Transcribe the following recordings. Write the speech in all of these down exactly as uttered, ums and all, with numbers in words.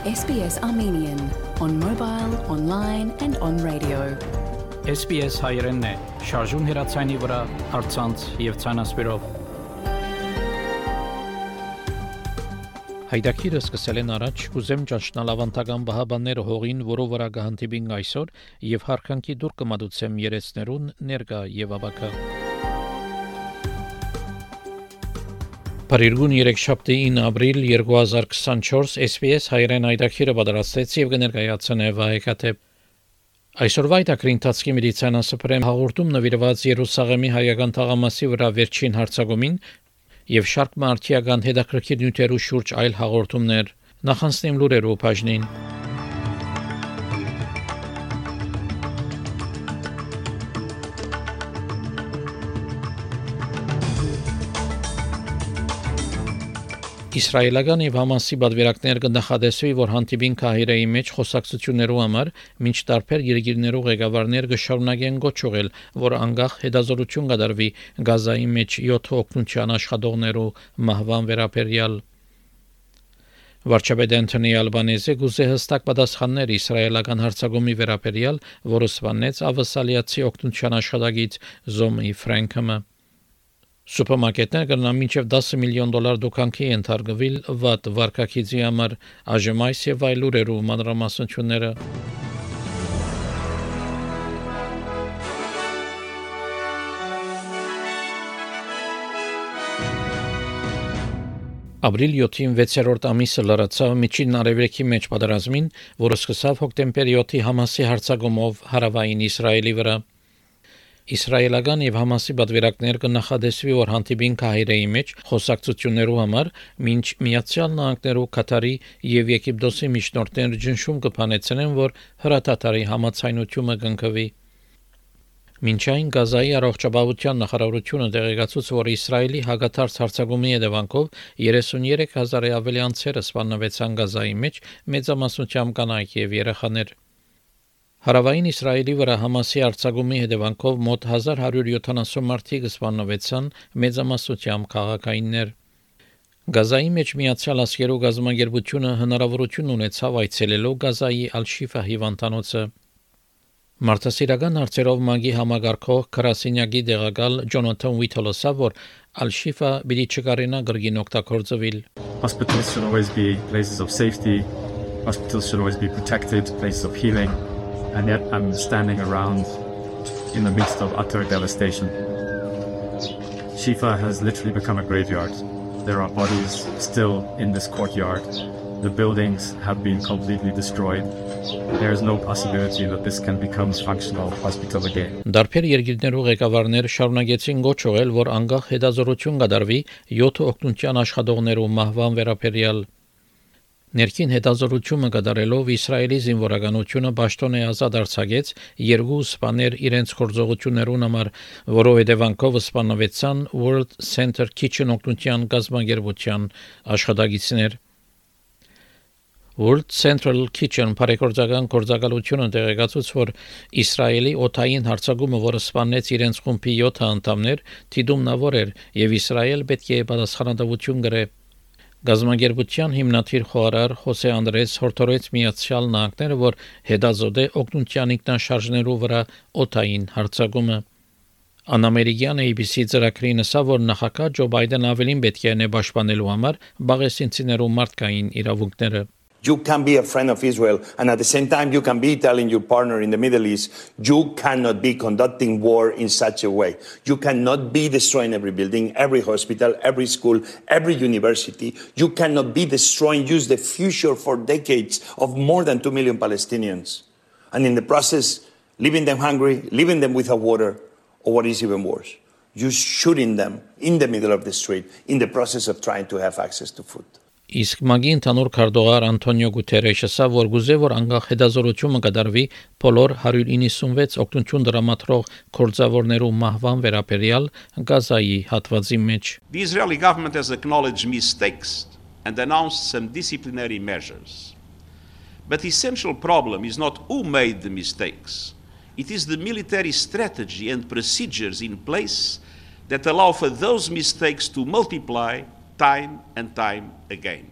S B S Armenian on mobile, online and on radio. S B S հայերենն է, շարժուն հեռացանի վրա, առցանց եւ ցանասպիրով։ Հայդակիրը սկսել են առաջ, կուզեմ ճանչնալ ավանդական բահաբանները հողին, որով վրա կհանդիպին այսօր եւ հարկանքի դուր կմատուցեմ երեցներուն ներկա եւ ավակա։ Փարիգուն երեքշաբթի ապրիլ երկու հազար քսանչորս S B S հայերեն հայդակիրը պատրաստեց եւ կներկայացնե վահեկաթեփ։ Այսօրվա այդակրի ընթացքի մեդիցինասպրեմ հաղորդում նվիրված Երուսաղեմի հայական թաղամասի վրա վերջին հարձակումին եւ շարք մարդիական հետաքրքիր նյութերու շուրջ այլ հաղորդումներ նախանցնեմ լուրերով բաժնին։ Իսրայելական եւ Համասի բادرվերակներ կնախադեсվի, որ հանդիպին Կահիրեի մեջ խոսակցություններու համար մինչ տարբեր երկիրներու ղեկավարներ կշարունակեն գոչուղել, որ անկախ հետազոտություն կդարվի Գազայի մեջ յոթ օգնության աշխատողներու մահվան վերաբերյալ։ Վարչապետ Անթոնի Ալբանեզը գուզե հստակ պատասխաններ իսրայելական հարձակումի վերաբերյալ, որը սպանեց ավասալիացի օգնության աշխատագիծ Զոմի Ֆրանկը։ Սուպերմարկետներ կնան մինչև դեսը միլիոն դոլար դուքանքի ենթարկվել վատ վարկակիցի համար ԱԺՄ-ից եւ այլ լուրերու մանրամասնությունները։ Ապրիլ յոթին վեցերորդ ամիսը լրացավ միջին արևելքի մեջ պատերազմին, որը սկսավ հոկտեմբեր յոթի Համասի հարձակումով հարավային Իսրայելի վրա։ Իսրայելական եւ Համասի բادرվերակներ կնախադեсվի, որ հանդիպին Կահիրեի մեջ խոսակցություններու համար մինչ Միացյալ Նահանգներու, Կատարի եւ Եգիպտոսի միջնորդները ճնշում կփանեցնեն, որ հրատատարի համացայնությունը կընկվի։ Մինչ այն Գազայի առողջապահության նախարարությունը տեղեկացուց, որ Իսրայելի հագաթարց հարձակումի հետևանքով երեսունյերեք հազարի ավելի անձերը սպանվեցան Գազայի մեջ, մեծամասնությամբ կանայք եւ երեխաներ։ Հարավային Իսրայելի վրա Համասի արձակումի հետևանքով մոտ հազար հարյուր յոթանասուն մարդիկ սպանվեցան, մեծամասնությամբ քաղաքայիններ։ Գազայի մեջ Միացյալ Աշխարհի գազամագերբությունը հնարավորություն ունեցավ այցելելու Գազայի Ալ-Շիֆա հիվանդանոցը։ Մարդասիրական հարցերով ՄԱԳ-ի համագարկող քրասենյակի դեղակալ Ջոնաթան Ուիթոլսը, որ Ալ-Շիֆա պիտի չկարենա գրգին օգտագործվել։ Hospitals should always be places of safety. Hospitals should always be protected, places of healing. And yet I'm standing around in the midst of utter devastation. Shifa has literally become a graveyard. There are bodies still in this courtyard. The buildings have been completely destroyed. There is no possibility that this can become a functional hospital again. Դարբեր երկիրներու ղեկավարներ շարունակեցին գոչուղել, որ անկախ հետազոտություն կդարվի յոթ օգնության աշխատողներու մահվան վերաբերյալ։ Ներքին հետազոտությունը կատարելով Իսրայելի զինվորականությունը պաշտոն է ազատ արձակեց երկու սպաներ իրենց գործողություններուն համար, որով հետևանքով սպանվեցան World Center Kitchen օգնության գազամագերբության աշխատակիցներ։ World Central Kitchen բարեգործական գործակալությունը տեղեկացուց, որ Իսրայելի օդային հարձակումը, որը սպանեց իրենց խումբի յոթ անդամներ, թիդումնավոր էր եւ Իսրայել պետք է պատասխանատվություն կրե։ Գազամագերբության հիմնադիր խորհարար Խոսե Անդրես հորդորեց Միացյալ Նահանգները, որ հետազոտե օգնության ինքնաշարժներու վրա օդային հարձակումը։ Անամերիկյան A B C ծրագրի նշա, որ նախագահ Ջո Բայդեն ավելին պետք է նե պաշտպանելու համար բաղեսինցիներու մարդկային իրավունքները։ You can be a friend of Israel, and at the same time you can be telling your partner in the Middle East, you cannot be conducting war in such a way. You cannot be destroying every building, every hospital, every school, every university. You cannot be destroying, use the future for decades of more than two million Palestinians. And in the process, leaving them hungry, leaving them without water, or what is even worse, you shooting them in the middle of the street in the process of trying to have access to food. Իսկ ՄԱԳ-ի ընդհանուր քարտուղար Անտոնիո Գուտերեշը ասա, որ գուզե որ անկախ հետազոտությունը կդարվի բոլոր հարյուր իննսունվեց օգնություն դրամատրող գործավորներու մահվան վերաբերյալ Գազայի հատվածի մեջ։ The Israeli government has acknowledged mistakes and announced some disciplinary measures. But the essential problem is not who made the mistakes. It is the military strategy and procedures in place that allow for those mistakes to multiply time and time again.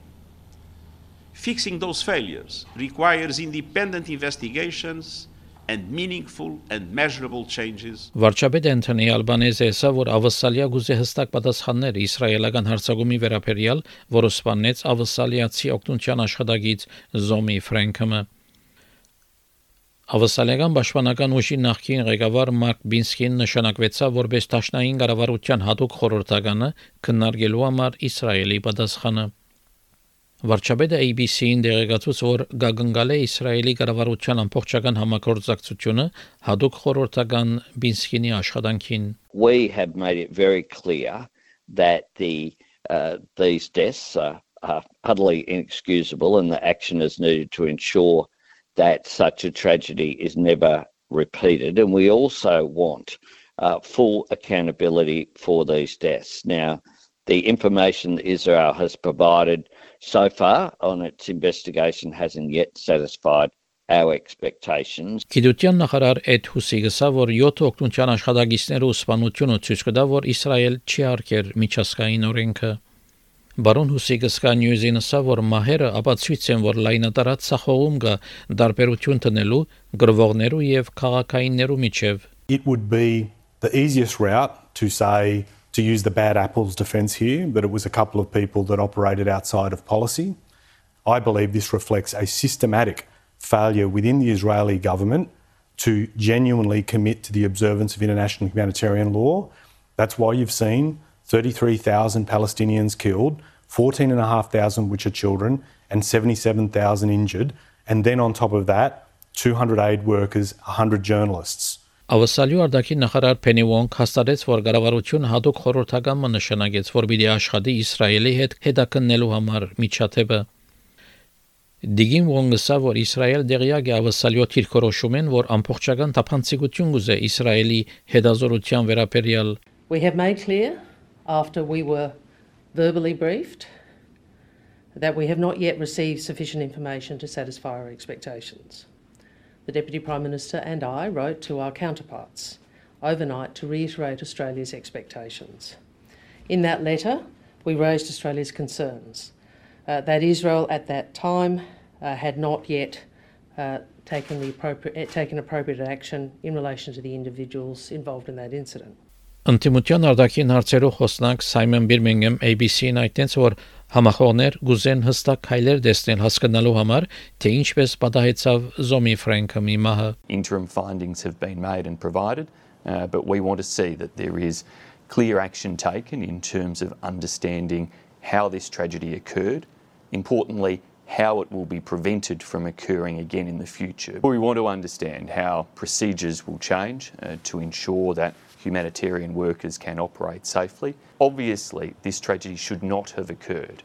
Fixing those failures requires independent investigations and meaningful and measurable changes. Վարչապետ Անթոնի Ալբանեզը ասա, որ ավսալիա գուզե հստակ պատասխաններ իսրայելական հարձակումի վերաբերյալ, որը սպանեց ավսալիացի օգնության աշխատակից Զոմի Ֆրենքը։ Ավսալիական պաշտպանական ուժի նախկին ղեկավար Մարկ Բինսկին նշանակվեցավ որպես դաշնային կառավարության հատուկ խորհրդականը քննարկելու համար Իսրայելի պատասխանը։ Վարչապետը A B C-ին դեղեկացուց, որ գագնգալ է Իսրայելի կառավարության ամբողջական համագործակցությունը հատուկ խորհրդական Բինսկինի աշխատանքին։ We have made it very clear that the uh, these deaths are, are utterly inexcusable and the action is needed to ensure that such a tragedy is never repeated, and we also want uh, full accountability for these deaths. Now, the information that Israel has provided so far on its investigation hasn't yet satisfied our expectations. Գիտության նախարար Էդ Հուսիգսը, որ յոթ օգնության աշխատակիցները սպանությունը ցույց կտա, որ Իսրայել չի արգել միջազգային օրենքը։ Բարոն Հուսիգսկա նյուզին ասա, որ մահերը ապացույց են, որ լայնատարած սախողում կա դարբերություն տնելու գրվողներու եւ քաղաքայիններու միջև։ It would be the easiest route to say to use the bad apples defense here, but it was a couple of people that operated outside of policy. I believe this reflects a systematic failure within the Israeli government to genuinely commit to the observance of international humanitarian law. That's why you've seen thirty-three thousand Palestinians killed, fourteen thousand five hundred which are children, and seventy-seven thousand injured. And then on top of that, two hundred aid workers, one hundred journalists. Ավսալյու արտաքին նախարար Փենի Վոնգ հաստատեց, որ կառավարությունը հատուկ խորհրդական նշանակեց, որ պիտի աշխատի Իսրայելի հետ հետաքննելու համար միջադեպը։ Դիգին Վոնգը ասա, որ Իսրայել դեղյակ է ավսալյու թիրքորոշումեն, որ ամբողջական թափանցիկություն գուզե Իսրայելի հետազորության վերաբերյալ։ We have made clear after we were verbally briefed that we have not yet received sufficient information to satisfy our expectations. The Deputy Prime Minister and I wrote to our counterparts overnight to reiterate Australia's expectations. In that letter, we raised Australia's concerns uh, that Israel at that time uh, had not yet uh, taken, the appropriate, taken appropriate action in relation to the individuals involved in that incident. Ընտիմության արտաքին հարցերով խոսնակ Սայմոն Բիրմինգեմ A B C-ին այդտենց, որ համախոհներ գուզեն հստակ քայլեր տեսնել հասկանալու համար, թե ինչպես պատահեցավ Զոմի Ֆրենքը մի մահը։ Interim findings have been made and provided, uh, but we want to see that there is clear action taken in terms of understanding how this tragedy occurred, importantly, how it will be prevented from occurring again in the future. We want to understand how procedures will change uh, to ensure that humanitarian workers can operate safely. Obviously, this tragedy should not have occurred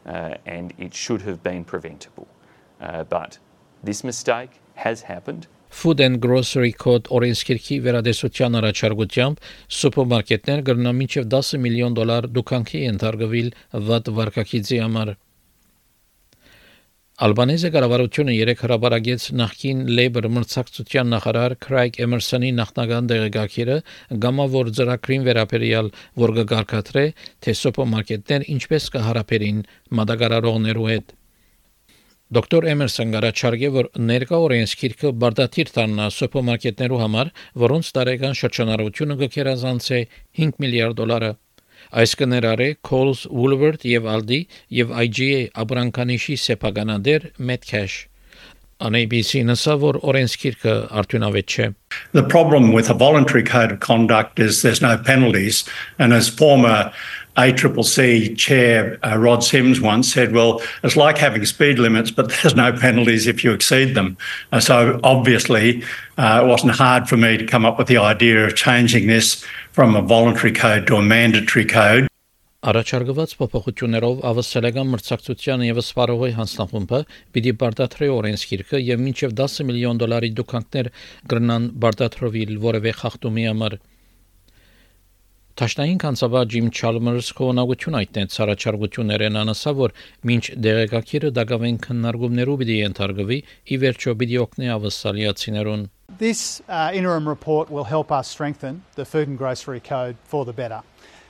uh, and it should have been preventable. Uh, but this mistake has happened. Food and Grocery Code օրենսգիրքի վերադեսության առաջարկությամբ սուպերմարկետներ կգրնան մինչև ten միլիոն դոլար դուքանքի ենթարկվել վատ վարկակիցի համար։ Ալբանեզը կառավարությունը երեք հրապարակեց նախկին Labour մրցակցության նախարար Քրայգ Էմերսոնի նախնական դեղեկագիրը գամավոր ծրագրին վերաբերյալ, որ կգարկադրե, թե սուպերմարկետներ ինչպես կհարաբերին մատակարարողներու հետ։ Դոկտոր Էմերսոն գարաչարգե, որ ներկա օրենսգիրքը բարդաթիր դառնա սուպերմարկետներու համար, որոնց տարեկան շրջանառությունը կգերազանցի five միլիարդ դոլարը։ Այս կներառե Coles, Woolworth եւ Aldi եւ I G A abrankanişi սեփականադեր Metcash. On A B C նշա, որ օրենսգիրքը արդյունավետ չէ։ The problem with a voluntary code of conduct is there's no penalties, and as former A C C C chair uh, Rod Sims once said, well, it's like having speed limits, but there's no penalties if you exceed them. Uh, so obviously uh, it wasn't hard for me to come up with the idea of changing this from a voluntary code to a mandatory code. Առաջարկված փոփոխություններով ավստրալիական մրցակցության եւ սպառողի հանձնախումբը պիտի բարդաթրի օրենսգիրքը եւ մինչեւ ten միլիոն դոլարի դուքանքներ կգրնան բարդաթրվել որևէ խախտումի համար։ Տաշնային կանցաբար Ջիմ Չալմերս խոնավություն այդտենց առաջարկություններն անասա, որ մինչ դեղեկագիրը դակավեն քննարկումներով պիտի ենթարկվի, ի վերջո պիտի օգնի ավստրալիացիներուն։ This uh, interim report will help us strengthen the Food and Grocery Code for the better.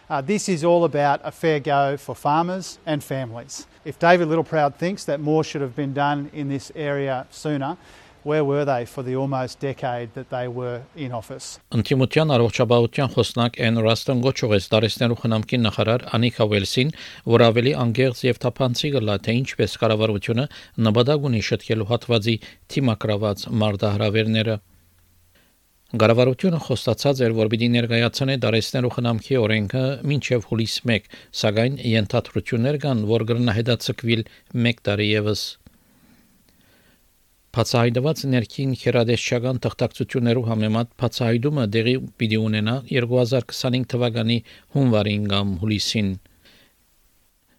Uh, this is all about a fair go for farmers and families. If David Littleproud thinks that more should have been done in this area sooner, where were they for the almost decade that they were in office? Անտիմության առողջապահության խոսնակ Էն Ռաստոն գոչուեց դարեցնելու խնամքի նախարար Անիկա Ուելսին, որ ավելի անգերց եւ թափանցի գլա թե ինչպես կառավարությունը նպատակ ունի շտկելու հատվածի թիմակրաված մարտահրավերները։ Կառավարությունը խոստացած էր, որ պիտի ներկայացնի դարեցնելու խնամքի օրենքը մինչև հուլիս մեկ, սակայն ենթադրություններ կան, որ կգրնահետացկվիլ մեկ տարի ևս։ Բացահայտված ներքին քերադեսչական թղթակցություններով համեմատ բացահայտումը դեղի պիտի ունենա երկու հազար քսանհինգ թվականի հունվարին կամ հուլիսին։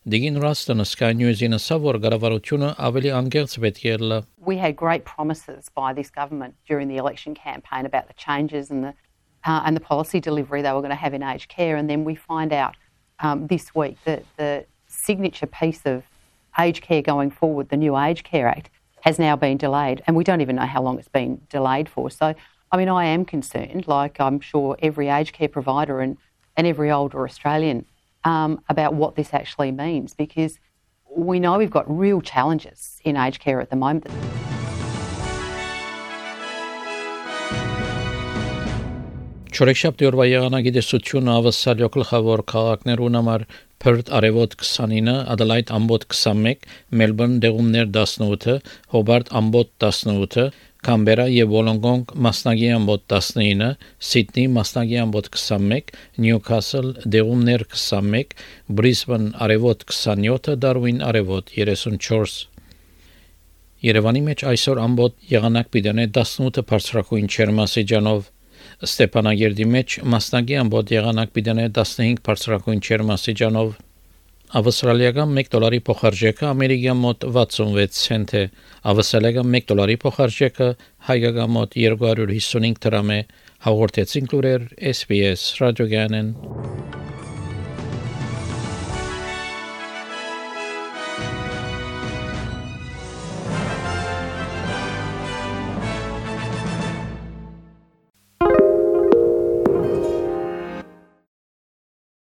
Դիգին Ռաստոնը Sky News-ին ասավ, որ կառավարությունը ավելի անգերց պետք է լա։ We had great promises by this government during the election campaign about the changes and the uh, and the policy delivery they were going to have in aged care, and then we find out um, this week that the signature piece of aged care going forward, the new Aged Care Act, has now been delayed, and we don't even know how long it's been delayed for. So, I mean, I am concerned, like I'm sure every aged care provider and, and every older Australian, um, about what this actually means, because we know we've got real challenges in aged care at the moment. Չորեքշաբթի օրվա եղանակի տեսությունը ավսալյո գլխավոր քաղաքներուն համար Perth արևոտ քսանինը, Adelaide ամբոտ քսանմեկ, Melbourne դեղումներ տասնութ, Hobart ամբոտ տասնութ, Canberra եւ Wollongong մասնագի ամբոտ տասնինը, Sydney մասնագի ամբոտ քսանմեկ, Newcastle դեղումներ քսանմեկ, Brisbane արևոտ քսանյոթ, Darwin արևոտ երեսունչորս։ Երևանի մեջ այսօր ամբոտ եղանակ պիտի տասնութ բարձրակույն ջերմաստիճանով, Ստեփանագերդի մեջ մասնագի ամբոտ եղանակ պիտի տասնհինգ բարձրակույն ջերմաստիճանով, ավստրալիական մեկ դոլարի փոխարժեքը ամերիկյան մոտ վաթսունվեց ցենտ է, ավստրալիական մեկ դոլարի փոխարժեքը հայկական մոտ երկու հարյուր հիսունհինգ դրամ է, հաղորդեցին լուրեր S B S ռադիոգյանեն։